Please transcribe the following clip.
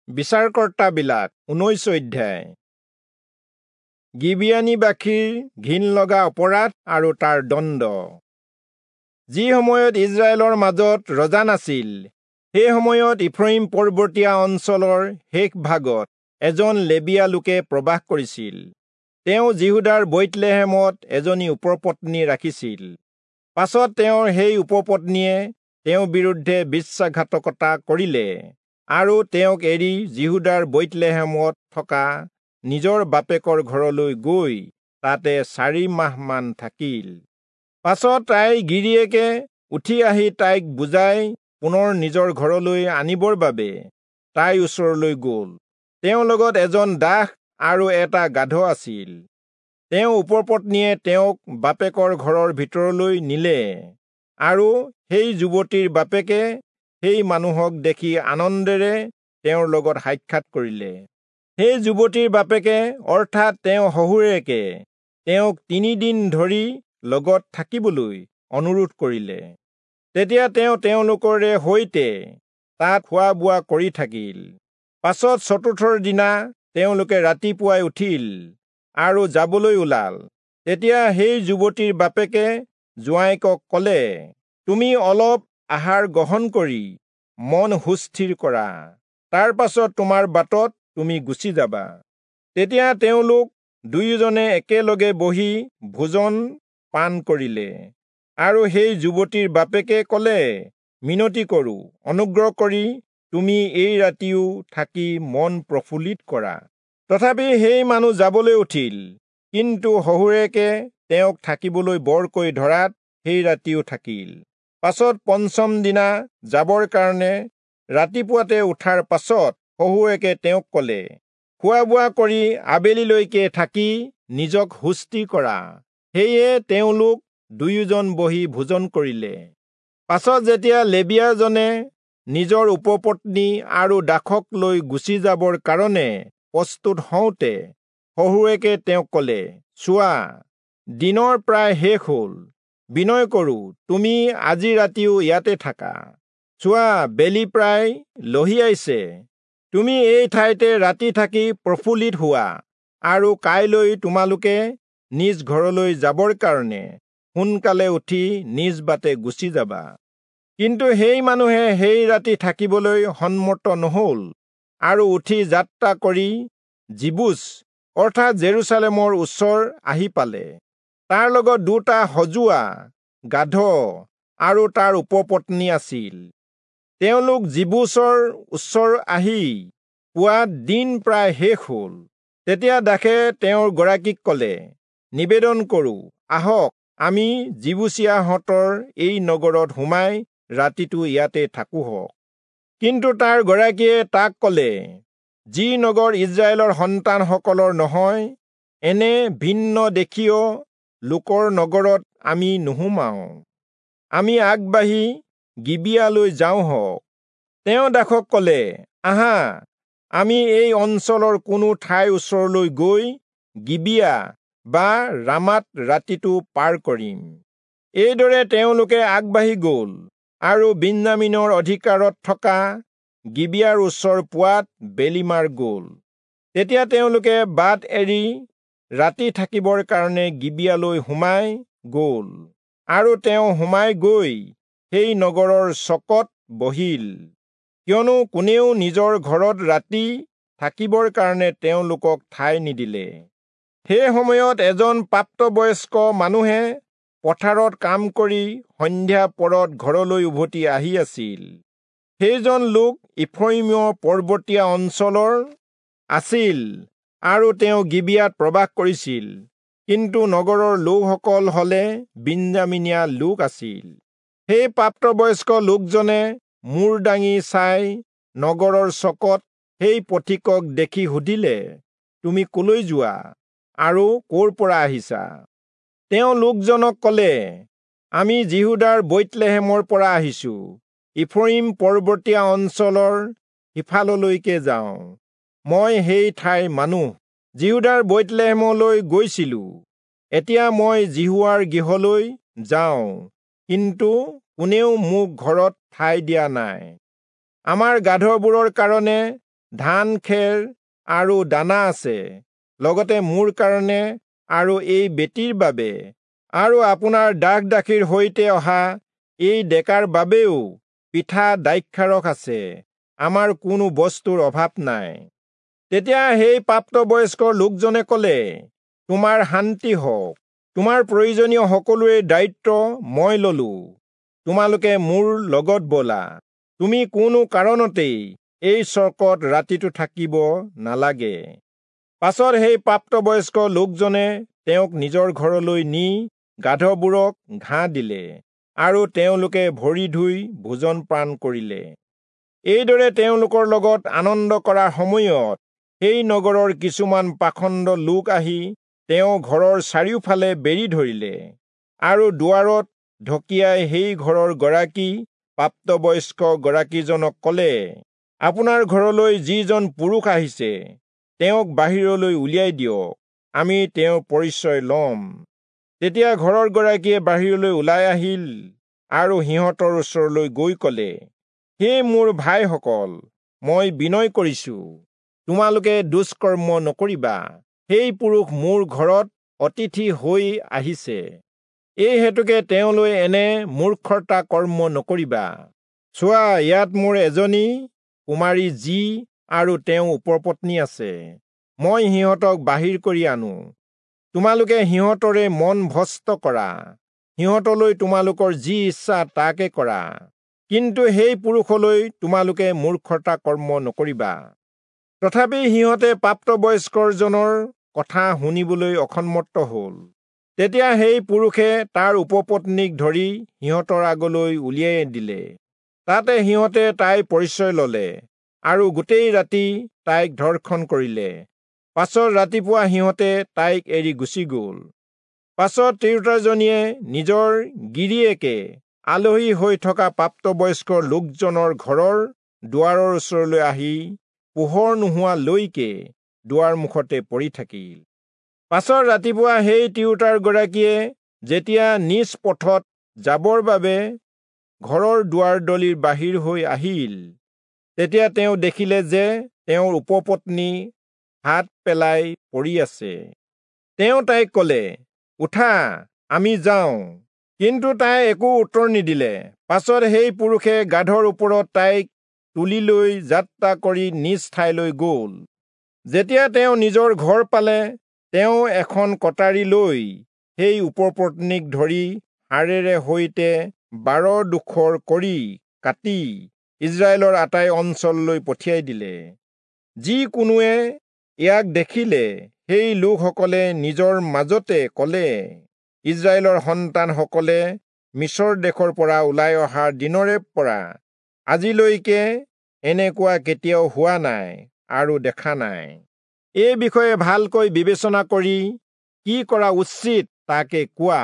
বিচাৰকৰ্তাবিলাক 19 অধ্যায়। গিবিয়ানীবাসীৰ ঘিণ লগা অপৰাধ আৰু তাৰ দণ্ড। যি সময়ত ইজৰাইলৰ মাজত ৰজা নাছিল, সেই সময়ত ইফ্ৰয়িম পৰ্বতীয়া অঞ্চলৰ শেষ ভাগত এজন লেবীয়া লোকে প্ৰবাস কৰিছিল। তেওঁ যিহূদাৰ বৈৎলেহেমত এজনী উপপত্নী ৰাখিছিল। পাছত তেওঁৰ সেই উপপত্নীয়ে তেওঁৰ বিৰুদ্ধে বিশ্বাসঘাতকতা কৰিলে আৰু তেওঁক এৰি যিহূদাৰ বৈৎলেহেমত থকা নিজৰ বাপেকৰ ঘৰলৈ গৈ তাতে 4 মাহমান থাকিল। পাছত তাইৰ গিৰিয়েকে উঠি আহি তাইক বুজাই পুনৰ নিজৰ ঘৰলৈ আনিবৰ বাবে তাইৰ ওচৰলৈ গ'ল। তেওঁৰ লগত এজন দাস আৰু এটা গাধ আছিল। তেওঁ উপপত্নীয়ে তেওঁক বাপেকৰ ঘৰৰ ভিতৰলৈ নিলে আৰু সেই যুৱতীৰ বাপেকে সেই মানুহক দেখি আনন্দেৰে তেওঁৰ লগত সাক্ষাৎ কৰিলে। সেই যুৱতীৰ বাপেকে অৰ্থাৎ তেওঁ শহুৰেকে তেওঁক 3 দিন ধৰি লগত থাকিবলৈ অনুৰোধ কৰিলে। তেতিয়া তেওঁ তেওঁলোকৰে সৈতে তাত খোৱা বোৱা কৰি থাকিল। পাছত চতুৰ্থৰ দিনা তেওঁলোকে ৰাতিপুৱাই উঠিল আৰু যাবলৈ ওলাল। তেতিয়া সেই যুৱতীৰ বাপেকে জোঁৱায়েকক ক'লে, তুমি অলপ আহাৰ গ্ৰহণ কৰি মন সুস্থিৰ কৰা, তাৰ পাছত তোমাৰ বাটত তুমি গুচি যাবা। তেতিয়া তেওঁলোক দুয়োজনে একেলগে বহি ভোজন পান কৰিলে। আৰু সেই যুৱতীৰ বাপেকে ক'লে, মিনতি কৰোঁ, অনুগ্ৰহ কৰি তুমি এই ৰাতিও থাকি মন প্ৰফুল্লিত কৰা। তথাপি সেই মানুহ যাবলৈ উঠিল, কিন্তু শহুৰেকে তেওঁক থাকিবলৈ বৰকৈ ধৰাত সেই ৰাতিও থাকিল। পাছত পঞ্চম দিনা যাবৰ কাৰণে ৰাতিপুৱাতে উঠাৰ পাছত শহুৰেকে তেওঁক ক'লে, খোৱা বোৱা কৰি আবেলিলৈকে থাকি নিজক সুস্থিৰ কৰা। সেয়ে তেওঁলোক দুয়োজন বহি ভোজন কৰিলে। পাছত যেতিয়া লেবীয়াজনে নিজৰ উপপত্নী আৰু দাসক লৈ গুচি যাবৰ কাৰণে প্ৰস্তুত হওঁতে শহুৰেকে তেওঁক ক'লে, চোৱা, দিনৰ প্ৰায় শেষ হ'ল, বিনয় কৰোঁ তুমি আজি ৰাতিও ইয়াতে থাকা। চোৱা, বেলি প্ৰায় লহিয়াইছে, তুমি এই ঠাইতে ৰাতি থাকি প্ৰফুল্লিত হোৱা আৰু কাইলৈ তোমালোকে নিজ ঘৰলৈ যাবৰ কাৰণে সোনকালে উঠি নিজ বাটে গুচি যাবা। কিন্তু সেই মানুহে সেই ৰাতি থাকিবলৈ সন্মত নহ'ল আৰু উঠি যাত্ৰা কৰি যিবূচ অৰ্থাৎ জেৰুচালেমৰ ওচৰ আহি পালে। তাৰ লগত 2টা সজোৱা গাধ আৰু তাৰ উপপত্নী আছিল। তেওঁলোক যিবূচৰ ওচৰ আহি পোৱাত দিন প্ৰায় শেষ হ'ল। তেতিয়া দাসে তেওঁৰ গৰাকীক ক'লে, নিবেদন কৰোঁ, আহক আমি যিবূচীয়াহঁতৰ এই নগৰত সোমাই ৰাতিটো ইয়াতে থাকোঁহক। কিন্তু তাৰ গৰাকীয়ে তাক ক'লে, যি নগৰ ইজৰাইলৰ সন্তানসকলৰ নহয়, এনে ভিন্ন দেশীয় লোকৰ নগৰত আমি নোসোমাওঁ। আমি আগবাঢ়ি গিবিয়ালৈ যাওঁহক। তেওঁ দাসক ক'লে, আহা, আমি এই অঞ্চলৰ কোনো ঠাইৰ ওচৰলৈ গৈ গিবিয়া বা ৰামাত ৰাতিটো পাৰ কৰিম। এইদৰে তেওঁলোকে আগবাঢ়ি গ'ল আৰু বিন্যামীনৰ অধিকাৰত থকা গিবিয়াৰ ওচৰ পোৱাত বেলিমাৰ গ'ল। তেতিয়া তেওঁলোকে বাট এৰি ৰাতি থাকিবৰ কাৰণে গিবিয়ালৈ সোমাই গ'ল আৰু তেওঁ সোমাই গৈ সেই নগৰৰ চকত বহিল, কিয়নো কোনেও নিজৰ ঘৰত ৰাতি থাকিবৰ কাৰণে তেওঁলোকক ঠাই নিদিলে। সেই সময়ত এজন প্ৰাপ্তবয়স্ক মানুহে পথাৰত কাম কৰি সন্ধ্যা পৰত ঘৰলৈ উভতি আহি আছিল। সেইজন লোক ইফ্ৰয়িমৰ পৰ্বতীয়া অঞ্চলৰ আছিল আৰু তেওঁ গিবিয়াত প্ৰবাস কৰিছিল, কিন্তু নগৰৰ লোকসকল হলে বিন্যামীনীয়া লোক আছিল। সেই প্ৰাপ্তবয়স্ক লোকজনে মূৰ দাঙি চাই নগৰৰ চকত সেই পথিকক দেখি সুধিলে, তুমি কলৈ যোৱা আৰু ক'ৰ পৰা আহিছা? তেওঁ লোকজনক ক'লে, আমি যিহূদাৰ বৈৎলেহেমৰ পৰা আহিছো, ইফ্ৰয়িম পৰ্বতীয়া অঞ্চলৰ সিফাললৈকে যাওঁ। মই সেই ঠাইৰ মানুহ, যিহূদাৰ বৈৎলেহেমলৈ গৈছিলো। এতিয়া মই যিহোৱাৰ গৃহলৈ যাওঁ, কিন্তু কোনেও মোক ঘৰত ঠাই দিয়া নাই। আমাৰ গাধবোৰৰ কাৰণে ধান খেৰ আৰু দানা আছে, লগতে মোৰ কাৰণে আৰু এই বেটীৰ বাবে আৰু আপোনাৰ দাস দাসীৰ সৈতে অহা এই ডেকাৰ বাবেও পিঠা দ্ৰাক্ষাৰস আছে। আমাৰ কোনো বস্তুৰ অভাৱ নাই। তেতিয়া সেই প্ৰাপ্তবয়স্ক লোকজনে ক'লে, তোমাৰ শান্তি হওক, তোমাৰ প্ৰয়োজনীয় সকলোৰে দায়িত্ব মই ললো। তোমালোকে মোৰ লগত ব'লা, তুমি কোনো কাৰণতেই এই চকত ৰাতিটো থাকিব নালাগে। পাছত সেই প্ৰাপ্তবয়স্ক লোকজনে তেওঁক নিজৰ ঘৰলৈ নি গাধবোৰক ঘাঁহ দিলে আৰু তেওঁলোকে ভৰি ধুই ভোজন পান কৰিলে। এইদৰে তেওঁলোকৰ লগত আনন্দ কৰাৰ সময়ত সেই নগৰৰ কিছুমান পাখণ্ড লোক আহি তেওঁ ঘৰৰ চাৰিওফালে বেৰি ধৰিলে আৰু দুৱাৰত ঢকিয়াই সেই ঘৰৰ গৰাকী প্ৰাপ্তবয়স্ক গৰাকীজনক ক'লে, আপোনাৰ ঘৰলৈ যিজন পুৰুষ আহিছে তেওঁক বাহিৰলৈ উলিয়াই দিয়ক, আমি তেওঁৰ পৰিচয় ল'ম। তেতিয়া ঘৰৰ গৰাকীয়ে বাহিৰলৈ ওলাই আহিল আৰু সিহঁতৰ ওচৰলৈ গৈ ক'লে, হে মোৰ ভাইসকল, মই বিনয় কৰিছো, তোমালোকে দুষ্কৰ্ম নকৰিবা। সেই পুৰুষ মোৰ ঘৰত অতিথি হৈ আহিছে, এই হেতুকে তেওঁলৈ এনে মূৰ্খতা কৰ্ম নকৰিবা। চোৱা, ইয়াত মোৰ এজনী কুমাৰী জী আৰু তেওঁ উপপত্নী আছে, মই সিহঁতক বাহিৰ কৰি আনো। তোমালোকে সিহঁতৰে মন ভ্ৰষ্ট কৰা, সিহঁতলৈ তোমালোকৰ যি ইচ্ছা তাকে কৰা, কিন্তু সেই পুৰুষলৈ তোমালোকে মূৰ্খতা কৰ্ম নকৰিবা। তথাপি সিহঁতে প্ৰাপ্তবয়স্কজনৰ কথা শুনিবলৈ অসন্মত হ'ল। তেতিয়া সেই পুৰুষে তাৰ উপপত্নীক ধৰি সিহঁতৰ আগলৈ উলিয়াই দিলে। তাতে সিহঁতে তাইৰ পৰিচয় ললে আৰু গোটেই ৰাতি তাইক ধৰ্ষণ কৰিলে। পাছত ৰাতিপুৱা সিহঁতে তাইক এৰি গুচি গ'ল। পাছত তিৰোতাজনীয়ে নিজৰ গিৰিয়েকে আলহী হৈ থকা প্ৰাপ্তবয়স্ক লোকজনৰ ঘৰৰ দুৱাৰৰ ওচৰলৈ আহি পোহৰ নোহোৱালৈকে দুৱাৰ মুখতে পৰি থাকিল। পাছত ৰাতিপুৱা সেই তিৰোতাৰ গৰাকীয়ে যেতিয়া নিজ পথত যাবৰ বাবে ঘৰৰ দুৱাৰদলিৰ বাহিৰ হৈ আহিল, তেতিয়া তেওঁ দেখিলে যে তেওঁৰ উপপত্নী হাত পেলাই পৰি আছে। তেওঁ তাইক ক'লে, উঠা, আমি যাওঁ। কিন্তু তাই একো উত্তৰ নিদিলে। পাছত সেই পুৰুষে গাধৰ ওপৰত তাইক তুলি লৈ যাত্ৰা কৰি নিজ ঠাইলৈ গ'ল। যেতিয়া তেওঁ নিজৰ ঘৰ পালে, তেওঁ এখন কটাৰী লৈ সেই উপপত্নীক ধৰি হাড়েৰে সৈতে 12 ডোখৰ কৰি কাটি ইজৰাইলৰ আটাই অঞ্চললৈ পঠিয়াই দিলে। যি কোনোৱে ইয়াক দেখিলে, সেই লোকসকলে নিজৰ মাজতে ক'লে, ইজৰাইলৰ সন্তানসকলে মিচৰ দেশৰ পৰা ওলাই অহাৰ দিনৰে পৰা আজিলৈকে এনেকুৱা কেতিয়াও হোৱা নাই আৰু দেখা নাই। এই বিষয়ে ভালকৈ বিবেচনা কৰি কি কৰা উচিত তাকে কোৱা।